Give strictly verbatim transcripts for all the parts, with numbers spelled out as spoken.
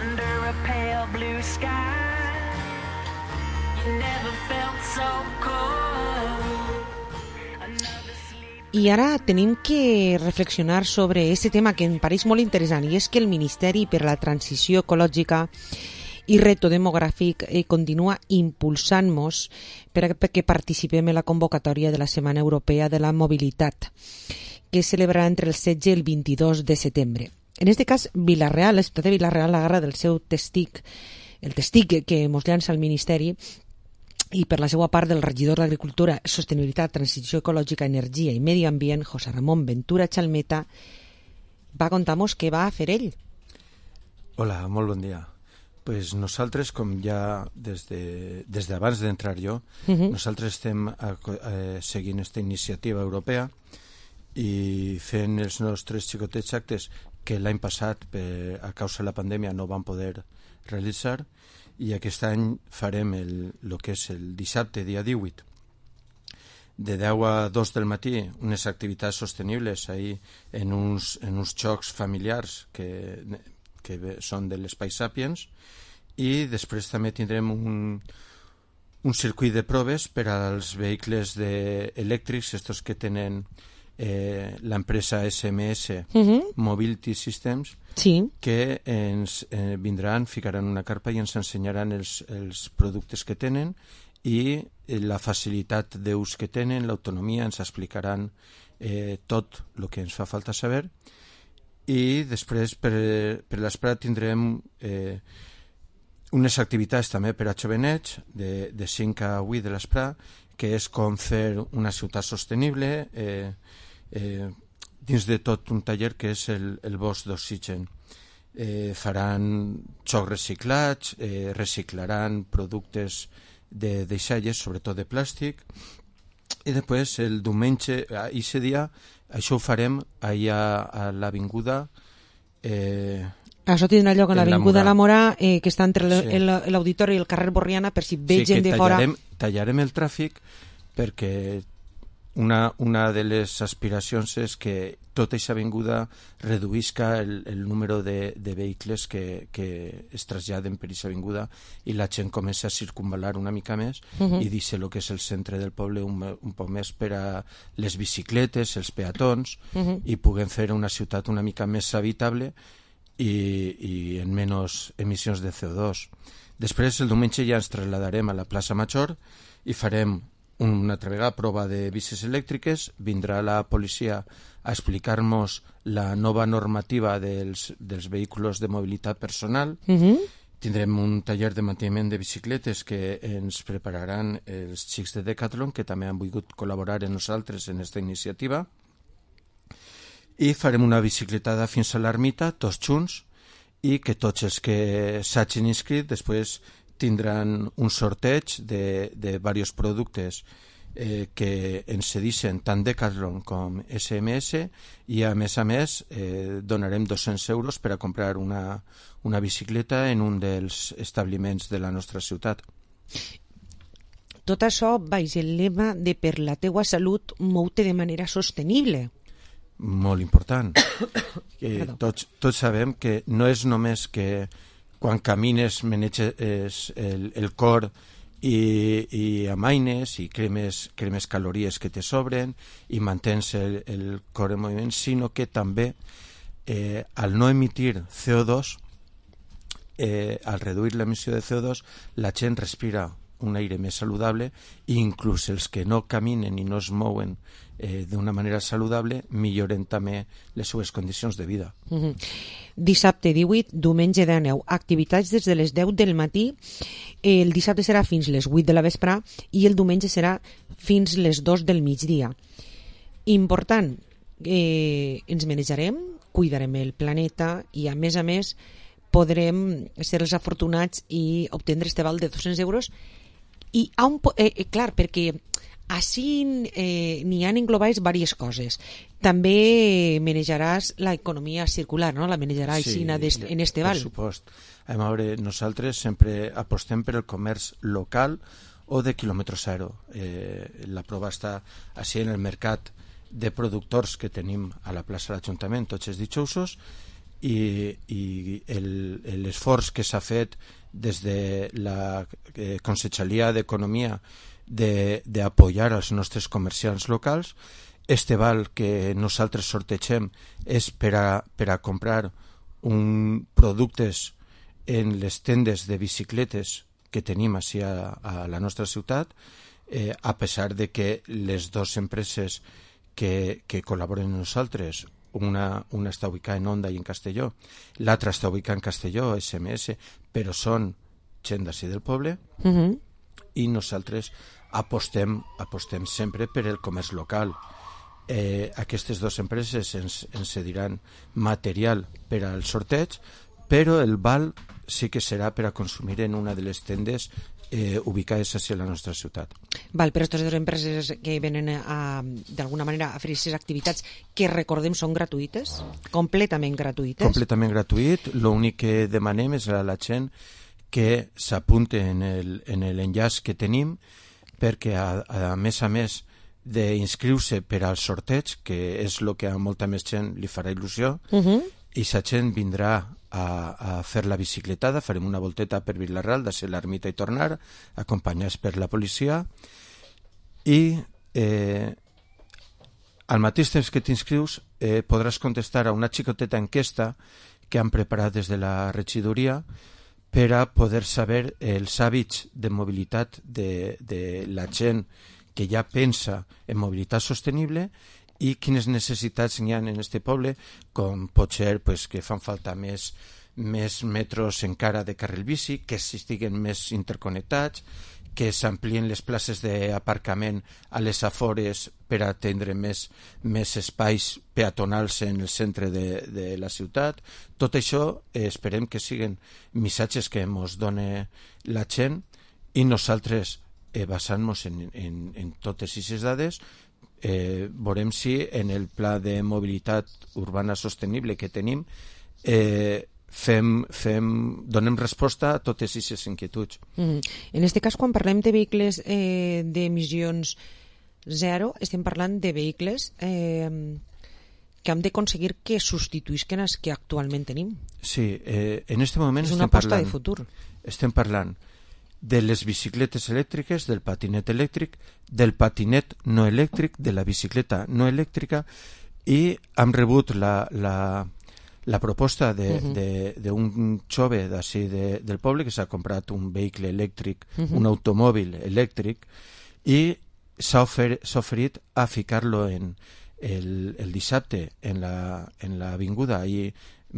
under a pale blue sky. You never felt so cold. I ara tenim que reflexionar sobre aquest tema que em pareix molt interessant, i és que el Ministeri per a la Transició Ecològica i Reto Demogràfic eh, continua impulsant-nos perquè participem en la convocatòria de la Setmana Europea de la Mobilitat, que es celebrarà entre el setze i el vint-i-dos de setembre. En aquest cas, Vila-real, la ciutat de Vila-real agarra del seu testic, el testic que ens llança el Ministeri, i per la seva part del regidor d'Agricultura, Sostenibilitat, Transició Ecològica, Energia i Medi Ambient, José Ramón Ventura Chalmeta, va contar-nos què va fer ell. Hola, molt bon dia. Pues nosaltres, com ja des de, des d'abans d'entrar jo, uh-huh. nosaltres estem eh, seguint aquesta iniciativa europea i fent els nostres xicotets actes que l'any passat, per, a causa de la pandèmia, no van poder realitzar, i aquest any farem el, el que és el dissabte, dia divuit, de deu a dos del matí, unes activitats sostenibles ahí en uns, en uns jocs familiars que, que són de l'Espai Sapiens, i després també tindrem un, un circuit de proves per als vehicles de, elèctrics, estos que tenen eh, l'empresa S M S uh-huh. Mobility Systems, sí. que ens eh, vindran, ficaran una carpa i ens ensenyaran els, els productes que tenen i eh, la facilitat d'ús que tenen, l'autonomia, ens explicaran eh, tot el que ens fa falta saber, i després per, per l'esperat tindrem eh, unes activitats també per a jovenets de, de cinc a vuit de l'esperat, que és com fer una ciutat sostenible, eh, eh, dins de tot un taller que és el, el bosc d'oxigen. Eh, faran xocs reciclats, eh, reciclaran productes de deixalles, sobretot de plàstic, i després el diumenge, aquest dia, això ho farem allà a l'avinguda... Eh, Això tindrà lloc a l'avinguda La Morà, eh, que està entre sí. l'auditori i el carrer Borriana, per si ve sí, gent de fora... tallarem, tallarem el tràfic perquè una, una de les aspiracions és que tota aquesta avinguda reduïsca el, el número de, de vehicles que, que es traslladen per aquesta avinguda i la gent comença a circunvalar una mica més uh-huh. i deixa el que és el centre del poble un, un poc més per a les bicicletes, els peatons uh-huh. i puguem fer una ciutat una mica més habitable i, i en menys emissions de C O dos. Després, el diumenge ja ens trasladarem a la plaça Major i farem una altra vegada prova de bicis elèctriques, vindrà la policia a explicar-nos la nova normativa dels, dels vehicles de mobilitat personal. Uh-huh. Tindrem un taller de manteniment de bicicletes que ens prepararan els xics de Decathlon, que també han volgut col·laborar amb nosaltres en aquesta iniciativa. I farem una bicicletada fins a l'ermita, tots junts, i que tots els que s'hagin inscrit després tindran un sorteig de, de diversos productes eh, que ens cedixen tant Decathlon com S M S, i a més a més eh, donarem dos-cents euros per a comprar una, una bicicleta en un dels establiments de la nostra ciutat. Tot això baix el lema de per la teua salut mou-te de manera sostenible. Molt important. que tots, tots sabem que no és només que quan camines maneges el, el cor i, i amaines i cremes, cremes calories que te sobren i mantens el, el cor en moviment, sinó que també eh, al no emitir C O dos, eh, al reduir l'emissió de C O dos, la gent respira un aire més saludable, i inclús els que no caminen i no es mouen eh, d'una manera saludable milloren també les seues condicions de vida. Mm-hmm. Dissabte divuit, diumenge dinou, activitats des de les deu del matí, el dissabte serà fins les vuit de la vespre i el diumenge serà fins les dos del migdia. Important, eh, ens manejarem, cuidarem el planeta i a més a més podrem ser els afortunats i obtindre este val de dos-cents euros. I a un, eh, eh, clar, perquè així eh, n'hi han englobades diverses coses. També manejaràs l'economia circular, no? La manejaràs sí, en este val. Per supost. A veure, nosaltres sempre apostem per el comerç local o de quilòmetre zero. Eh, la prova està així en el mercat de productors que tenim a la plaça de l'Ajuntament, tots els dijous, i, i l'esforç que s'ha fet des de la eh, Conselleria d'Economia d'apoyar els nostres comerciants locals. Este val que nosaltres sortegem és per a, per a comprar un, productes en les tendes de bicicletes que tenim així a, a la nostra ciutat, eh, a pesar de que les dues empreses que, que col·laboren amb nosaltres, una, una està ubicada en Onda i en Castelló, l'altra està ubicada en Castelló, S M S, però són gent d'ací del poble, uh-huh. i nosaltres apostem, apostem sempre per el comerç local. Eh, aquestes dues empreses ens, ens cediran material per al sorteig, però el val sí que serà per a consumir en una de les tendes eh, ubicades a la nostra ciutat. Val, però aquestes dues empreses que venen a, d'alguna manera a fer aquestes activitats que recordem són gratuïtes? Completament gratuïtes? Completament gratuït. L'únic que demanem és a la gent que s'apunte en el, en l'enllaç que tenim, perquè a, a més a més d'inscriure per al sorteig, que és el que a molta més gent li farà il·lusió, uh-huh. i la gent vindrà a, a fer la bicicletada, farem una volteta per Vilarral, de ser l'ermita i tornar, acompanyats per la policia, i eh, al mateix temps que t'inscrius eh, podràs contestar a una xicoteta enquesta que han preparat des de la regidoria per a poder saber els hàbits de mobilitat de, de la gent que ja pensa en mobilitat sostenible i quines necessitats n'hi ha en aquest poble, com pot ser pues, que fan falta més, més metros encara de carril bici, que estiguen més interconnectats, que s'amplien les places d'aparcament a les afores per atendre més, més espais peatonals en el centre de, de la ciutat. Tot això eh, esperem que siguin missatges que ens doni la gent i nosaltres, eh, basant-nos en, en, en totes aquestes dades, eh, veurem si en el pla de mobilitat urbana sostenible que tenim eh, Fem, fem, donem resposta a totes aquestes inquietuds. Mm. En aquest cas, quan parlem de vehicles eh, d'emissions zero, estem parlant de vehicles eh, que hem d'aconseguir que substituïsquen els que actualment tenim. Sí, eh, en aquest moment és una estem aposta parlant, de futur. Estem parlant de les bicicletes elèctriques, del patinet elèctric, del patinet no elèctric, de la bicicleta no elèctrica, i hem rebut la... la la proposta d'un uh-huh. jove d'ací de, del poble que s'ha comprat un vehicle elèctric, uh-huh. un automòbil elèctric, i s'ha ofer, oferit a ficar-lo en el, el dissabte en la, en l'avinguda, i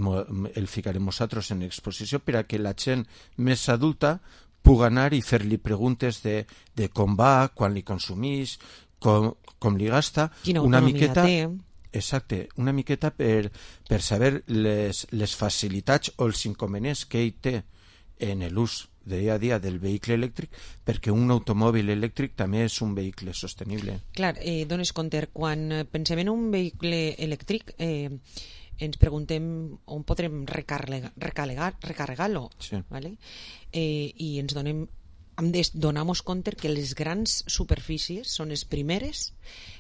mo, el ficarem nosaltres en exposició per a que la gent més adulta pugui anar i fer-li preguntes de, de com va, quan li consumís, com, com li gasta, quina una autonomia miqueta... té. Exacte, una miqueta per, per saber les, les facilitats o els inconvenients que ell té en l'ús de dia a dia del vehicle elèctric, perquè un automòbil elèctric també és un vehicle sostenible. Clar, eh, dones compte, quan pensem en un vehicle elèctric eh, ens preguntem on podrem recarregar, recarregar-lo, sí. ¿vale? eh, i ens donem hem de donar-nos compte que les grans superfícies són les primeres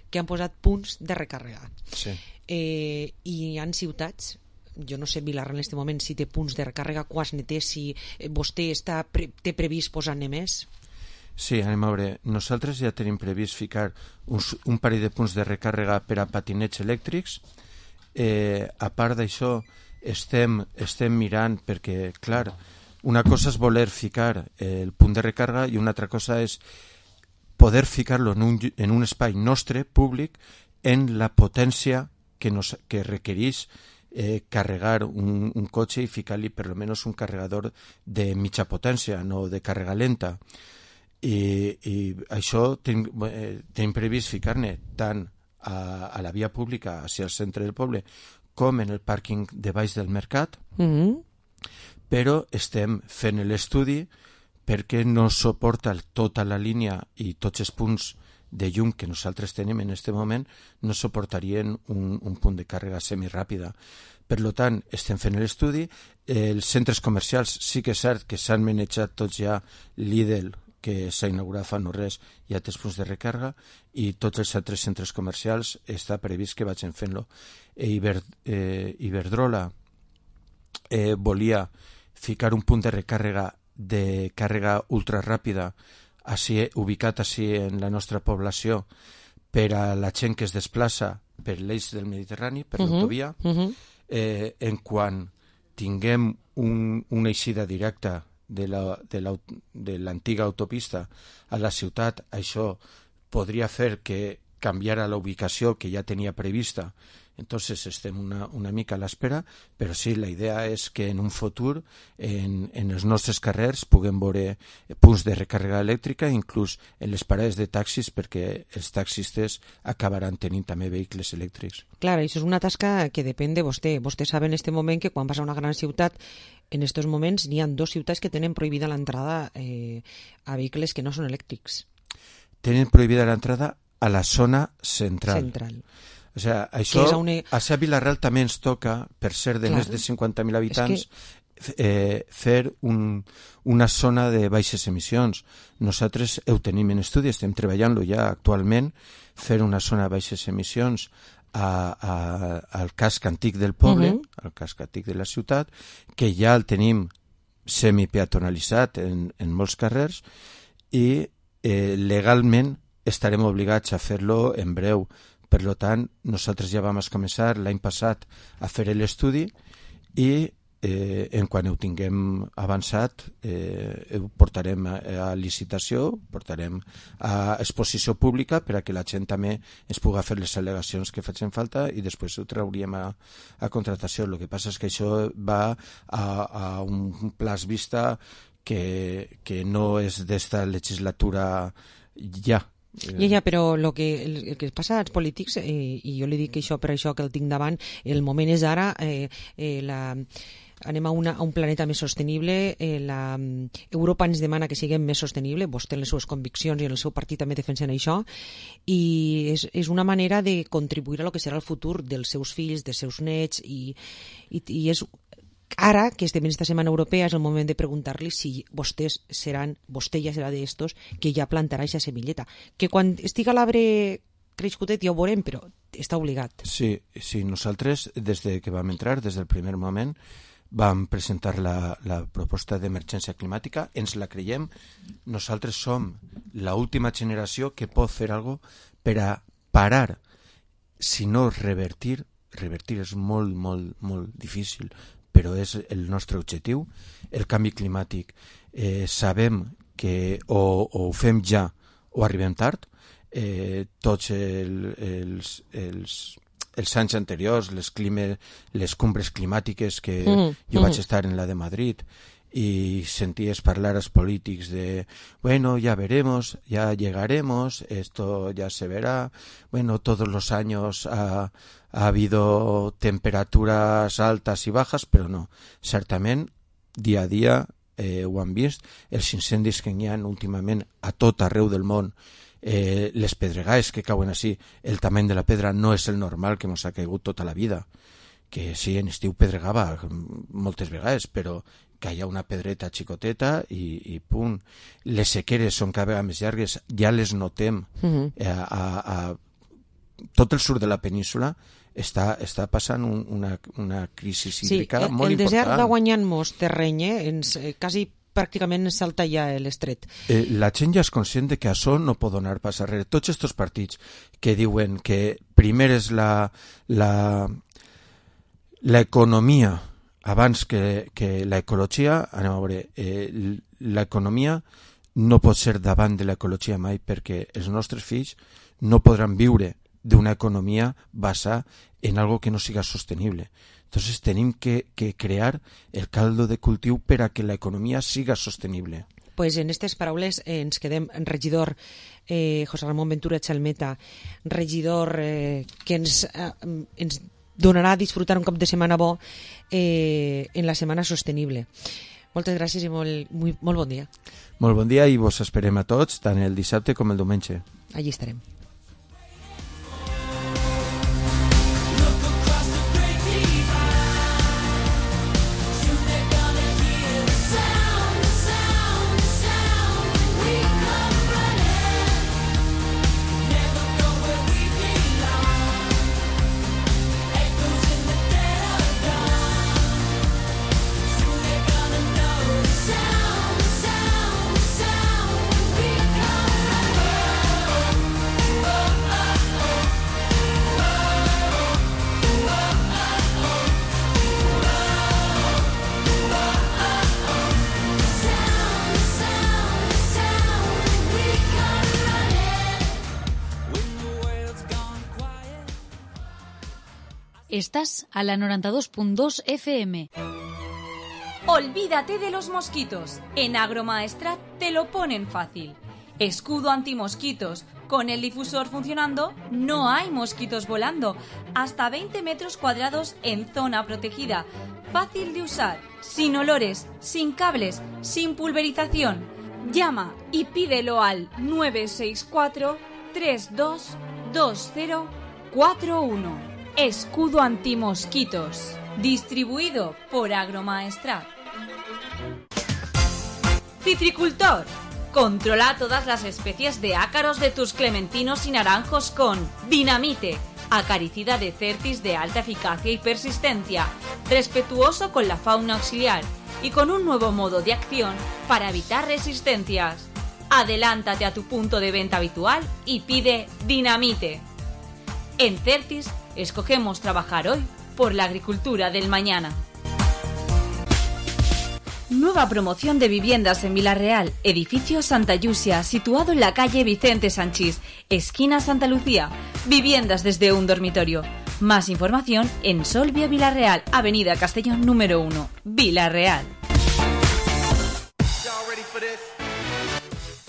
que han posat punts de recàrrega. Sí. Eh, I hi ha ciutats, jo no sé Vilarral en aquest moment si té punts de recàrrega, quants ne té, si vostè està pre té previst posar-ne més? Sí, anem a veure. Nosaltres ja tenim previst ficar uns, un parell de punts de recàrrega per a patinets elèctrics. Eh, a part d'això, estem, estem mirant perquè, clar, una cosa és voler ficar el punt de recàrrega i una altra cosa és poder ficar-lo en un, en un espai nostre, públic, en la potència que, nos, que requereix eh, carregar un, un cotxe i ficar-li per almenys un carregador de mitja potència, no de càrrega lenta. I, i això tenim, eh, tenim previst ficar-ne tant a, a la via pública, hacia el centre del poble, com en el pàrquing de baix del mercat, mm-hmm. però estem fent l'estudi perquè no suporta tota la línia i tots els punts de llum que nosaltres tenim en aquest moment no suportarien un, un punt de càrrega semiràpida. Per tant, estem fent l'estudi. Els centres comercials sí que és cert que s'han manejat tots ja Lidl, que s'ha inaugurat fa no res, hi ha tres punts de recàrrega, i tots els altres centres comercials està previst que vagin fent-lo. E Iber, eh, Iberdrola eh, volia ficar un punt de recàrrega de càrrega ultra ràpida així, ubicat així en la nostra població per a la gent que es desplaça per l'eix del Mediterrani, per uh-huh. l'autovia, uh-huh. eh, en quan tinguem un, una eixida directa de la, de la, de l'antiga autopista a la ciutat, això podria fer que canviara la ubicació que ja tenia prevista. Entonces estem una, una mica a l'espera, però sí, la idea és que en un futur en, en els nostres carrers puguem veure punts de recàrrega elèctrica, inclús en les parades de taxis, perquè els taxistes acabaran tenint també vehicles elèctrics. Clar, això és una tasca que depèn de vostè. Vostè sabe en este moment que quan vas a una gran ciutat, en estos moments n'hi ha dos ciutats que tenen prohibida l'entrada eh, a vehicles que no són elèctrics. Tenen prohibida l'entrada a la zona central. Central. O sea, això, una... a Sa Vilarreal també ens toca, per ser de Clar. més de cinquanta mil habitants, que... eh, fer un, una zona de baixes emissions. Nosaltres ho tenim en estudi, estem treballant-lo ja actualment, fer una zona de baixes emissions a, a, al casc antic del poble, uh-huh. al casc antic de la ciutat, que ja el tenim semipeatonalitzat en, en molts carrers, i eh, legalment estarem obligats a fer-lo en breu. Per tant, nosaltres ja vam començar l'any passat a fer l'estudi i eh, en quan ho tinguem avançat eh, ho portarem a, a licitació, portarem a exposició pública per a que la gent també es pugui fer les al·legacions que facin falta i després ho trauríem a, a contratació. El que passa és que això va a, a un plaç vista que, que no és d'esta legislatura ja. Ja, ja, però el que, el, el que passa als polítics, eh, i jo li dic això per això que el tinc davant, el moment és ara, eh, eh, la, anem a, una, a un planeta més sostenible, eh, la, Europa ens demana que siguem més sostenible, vostè en les seves conviccions i en el seu partit també defensen això, i és, és una manera de contribuir a lo que serà el futur dels seus fills, dels seus nets, i, i, i és... Ara, que estem en esta setmana europea, és el moment de preguntar-li si vostès seran, vostè ja serà d'estos que ja plantarà aquesta semilleta. Que quan estiga l'arbre creixcutet ja ho veurem, però està obligat. Sí, sí, nosaltres, des de que vam entrar, des del primer moment, vam presentar la, la proposta d'emergència climàtica, ens la creiem. Nosaltres som l'última generació que pot fer alguna cosa per a parar, si no revertir, revertir és molt, molt, molt difícil, però és el nostre objectiu, el canvi climàtic. Eh, sabem que o, o ho fem ja o arribem tard. Eh, tots el, els, els, els anys anteriors, les, clima, les cumbres climàtiques que mm, jo mm. vaig estar en la de Madrid y sentías parlar a los políticos de, bueno, ya veremos, ya llegaremos, esto ya se verá, bueno, todos los años ha, ha habido temperaturas altas y bajas, però no, certament, dia a dia eh, ho han vist, els incendis que hi ha últimament a tot arreu del món, eh, les pedregades que cauen així, el tamany de la pedra no és el normal que ens ha caigut tota la vida, que sí, en estiu pedregava moltes vegades, però que hi ha una pedreta xicoteta i, i punt. Les sequeres són cada vegada més llargues, ja les notem. Uh-huh. a, a, a, tot el sud de la península està, està passant un, una, una crisi hídrica sí, molt important. Sí, el desert va guanyant molts terreny, eh? ens, eh, quasi pràcticament ens salta ja l'estret. Eh, la gent ja és conscient de que això no pot donar pas arrere. Tots aquests partits que diuen que primer és la, la, l'economia abans que, que l'ecologia, anem a veure, eh, l'economia no pot ser davant de l'ecologia mai perquè els nostres fills no podran viure d'una economia basada en algo que no siga sostenible. Entonces tenim que, que crear el caldo de cultiu per a que l'economia siga sostenible. Pues en aquestes paraules eh, ens quedem. Regidor eh, José Ramón Ventura Chalmeta, regidor eh, que ens, eh, ens donarà a disfrutar un cop de setmana bo eh, en la setmana sostenible. Moltes gràcies i molt, molt, molt bon dia. Molt bon dia i vos esperem a tots, tant el dissabte com el diumenge. Allí estarem. Estás a la noventa y dos punto dos F M. Olvídate de los mosquitos. En Agromaestrat te lo ponen fácil. Escudo antimosquitos. Con el difusor funcionando, no hay mosquitos volando. Hasta veinte metros cuadrados en zona protegida. Fácil de usar, sin olores, sin cables, sin pulverización. Llama y pídelo al nueve seis cuatro, tres dos dos cero cuatro uno. Escudo antimosquitos. Distribuido por Agromaestrat. Citricultor. Controla todas las especies de ácaros de tus clementinos y naranjos con Dinamite, acaricida de Certis de alta eficacia y persistencia, respetuoso con la fauna auxiliar y con un nuevo modo de acción para evitar resistencias. Adelántate a tu punto de venta habitual y pide Dinamite. En Certis escogemos trabajar hoy por la agricultura del mañana. Nueva promoción de viviendas en Vilarreal, edificio Santa Yusia, situado en la calle Vicente Sanchís, esquina Santa Lucía. Viviendas desde un dormitorio. Más información en Solvia Vilarreal, avenida Castellón número uno, Vilarreal.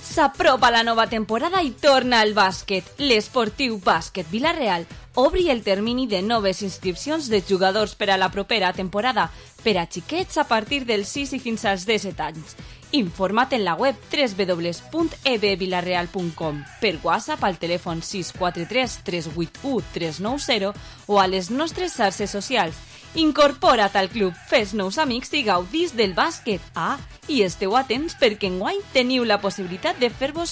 S'apropa la nova temporada i torna al bàsquet. L'Esportiu Bàsquet Vilarreal obri el termini de noves inscripcions de jugadors per a la propera temporada per a xiquets a partir dels sis i fins als disset anys. Informa't en la web w w w punt e b vilarreal punt com, per WhatsApp al telèfon sis quatre tres tres vuit u tres nou zero o a les nostres xarxes socials. Incorpora't al club, fes nous amics i gaudís del bàsquet. Ah, i esteu atents perquè enguany teniu la possibilitat de fer-vos